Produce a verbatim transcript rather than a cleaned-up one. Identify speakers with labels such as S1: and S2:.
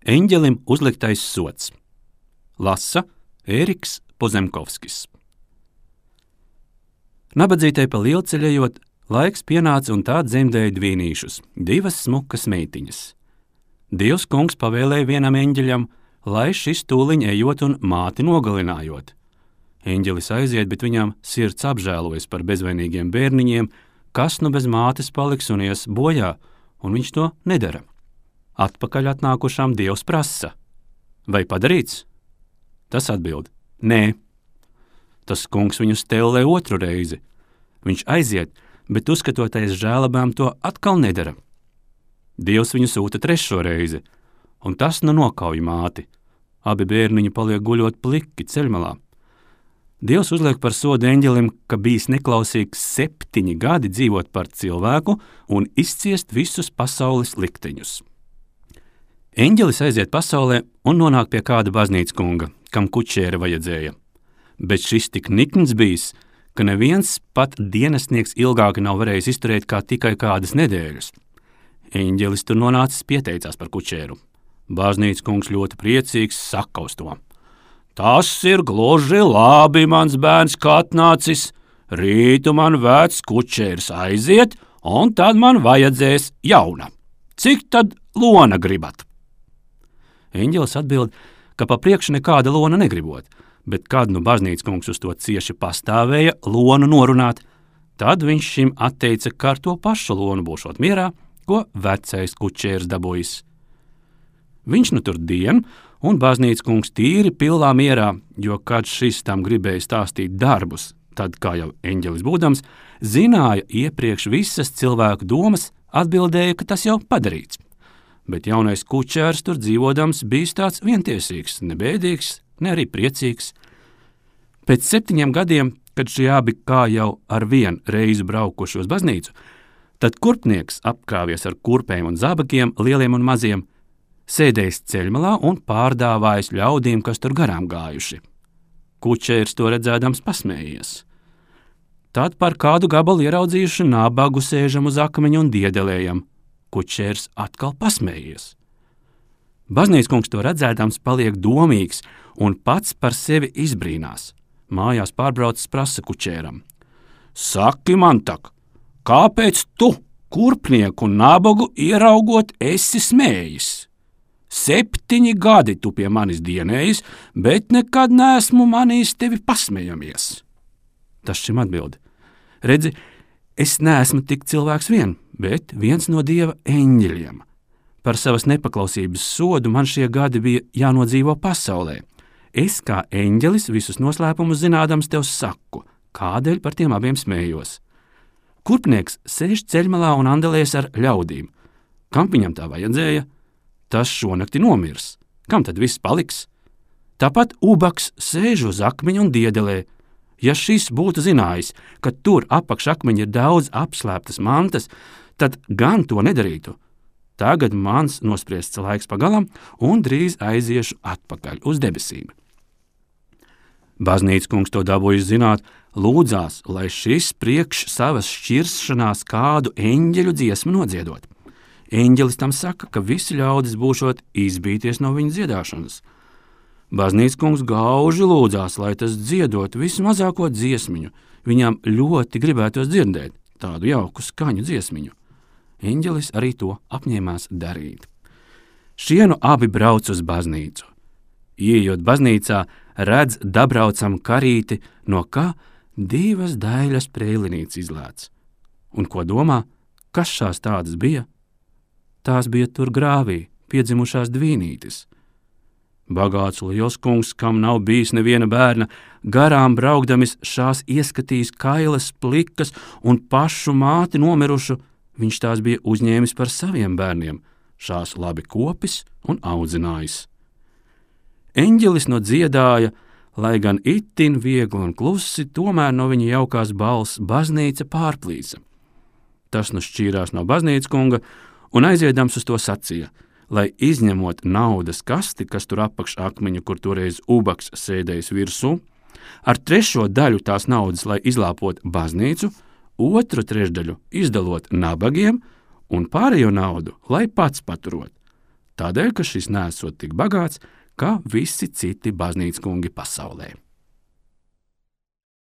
S1: Eņģelim uzliktais sods. Lasa Ēriks Pozemkovskis. Nabadzītei pa lielceļējot, laiks pienāca un tā dzemdēja dvīnīšus, divas smukas meitiņas. Dievs kungs pavēlēja vienam eņģeļam, lai šis tūliņ ejot un māti nogalinājot. Eņģelis aiziet, bet viņam sirds apžēlojas par bezvainīgiem bērniņiem, kas nu bez mātes paliks un ies bojā, un viņš to nedara. Atpakaļ atnākušām Dievs prasa: vai padarīts? Tas atbild: nē. Tas kungs viņu stellē otru reizi. Viņš aiziet, bet uzskatoties žēlabām to atkal nedara. Dievs viņu sūta trešo reizi, un tas nu nokauj māti. Abi bērniņi paliek guļot pliki ceļmalā. Dievs uzliek par sodu eņģelim, ka bijis neklausīgs septiņi gadi dzīvot par cilvēku un izciest visus pasaules likteņus. Eņģelis aiziet pasaulē un nonāk pie kāda baznīcas kunga, kam kučēra vajadzēja. Bet šis tik nikns bijis, ka neviens pat dienestnieks ilgāk nav varējis izturēt kā tikai kādas nedēļas. Eņģelis tur nonācis pieteicās par kučēru. Baznīcas kungs ļoti priecīgs saka uz to: tas ir gluži labi, mans bērns, kā atnācis. Rītu man vecs kučērs aiziet, un tad man vajadzēs jauna. Cik tad lona gribat? Eņģelis atbild, ka pa priekšu nekāda lona negribot, bet kad nu baznīcas kungs uz to cieši pastāvēja lonu norunāt, tad viņš šim atteica, ka ar to pašu lonu būšot mierā, ko vecais kučērs dabūjis. Viņš nu tur dien, un baznīcas kungs tīri pilnā mierā, jo kad šis tam gribēja stāstīt darbus, tad, kā jau eņģelis būdams, zināja iepriekš visas cilvēku domas, atbildēja, ka tas jau padarīts. Bet jaunais kučērs tur dzīvodams bijis tāds vientiesīgs, ne bēdīgs, ne arī priecīgs. Pēc septiņiem gadiem, kad šie abi kā jau ar vienu reizi braukuši uz baznīcu, tad kurpnieks apkāvies ar kurpēm un zābakiem, lieliem un maziem, sēdējis ceļmalā un pārdāvājis ļaudīm, kas tur garām gājuši. Kučērs to redzēdams pasmējies. Tad par kādu gabalu ieraudzījuši nabagu sēžam uz akmeņa un diedelējam. Kučērs atkal pasmējies. Baznīcas kungs to redzēdams paliek domīgs un pats par sevi izbrīnās. Mājās pārbraucis prasa kučēram: saki man tak, kāpēc tu, kurpnieku un nabagu ieraugot, esi smējis? Septiņi gadi tu pie manis dienējis, bet nekad neesmu manījis tevi pasmejamies. Tas šim atbild: redzi, es neesmu tik cilvēks vien, bet viens no Dieva eņģeļiem. Par savas nepaklausības sodu man šie gadi bija jānodzīvo pasaulē. Es kā eņģelis visus noslēpumus zinādams tev saku, kādēļ par tiem abiem smējos. Kurpnieks sēž ceļmalā un andelēs ar ļaudīm. Kam viņam tā vajadzēja? Tas šonakti nomirs. Kam tad viss paliks? Tāpat ubaks sēž uz akmeņa un diedelē. Ja šis būtu zinājis, ka tur apakš akmeņa ir daudz apslēptas mantas, tad gan to nedarītu. Tagad mans nospriests laiks pagalam un drīz aiziešu atpakaļ uz debesīm. Baznīcas kungs to dabūjis zināt, lūdzās, lai šis priekš savas šķiršanās kādu eņģeļu dziesmu nodziedot. Eņģelis tam saka, ka visi ļaudis būšot izbīties no viņa dziedāšanas. Baznīcas kungs gauži lūdzās, lai tas dziedot vismazāko dziesmiņu. Viņam ļoti gribētos dzirdēt tādu jauku skaņu dziesmiņu. Eņģelis arī to apņēmās darīt. Šie nu abi brauc uz baznīcu. Ieejot baznīcā, redz dabraucam karīti, no kā divas daļas prēlinītes izlēc. Un ko domā, kas šās tādas bija? Tās bija tur grāvī, piedzimušās dvīnītes. Bagāts liels kungs, kam nav bijis neviena bērna, garām braukdamis šās ieskatījis kailas, plikas un pašu māti nomirušu, viņš tās bija uzņēmis par saviem bērniem, šās labi kopis un audzinājis. Eņģelis no dziedāja, lai gan itin viegli un klusi, tomēr no viņa jaukās balss baznīca pārplīsa. Tas nu šķīrās no baznīcas kunga un aiziedams uz to sacīja, lai izņemot naudas kasti, kas tur apakš akmeņu, kur toreiz ubaks sēdējis virsū, ar trešo daļu tās naudas, lai izlāpot baznīcu, otru trešdaļu izdalot nabagiem un pārējo naudu, lai pats paturot. tādēļ, ka šis nesot tik bagāts, kā visi citi baznīcas kungi pasaulē.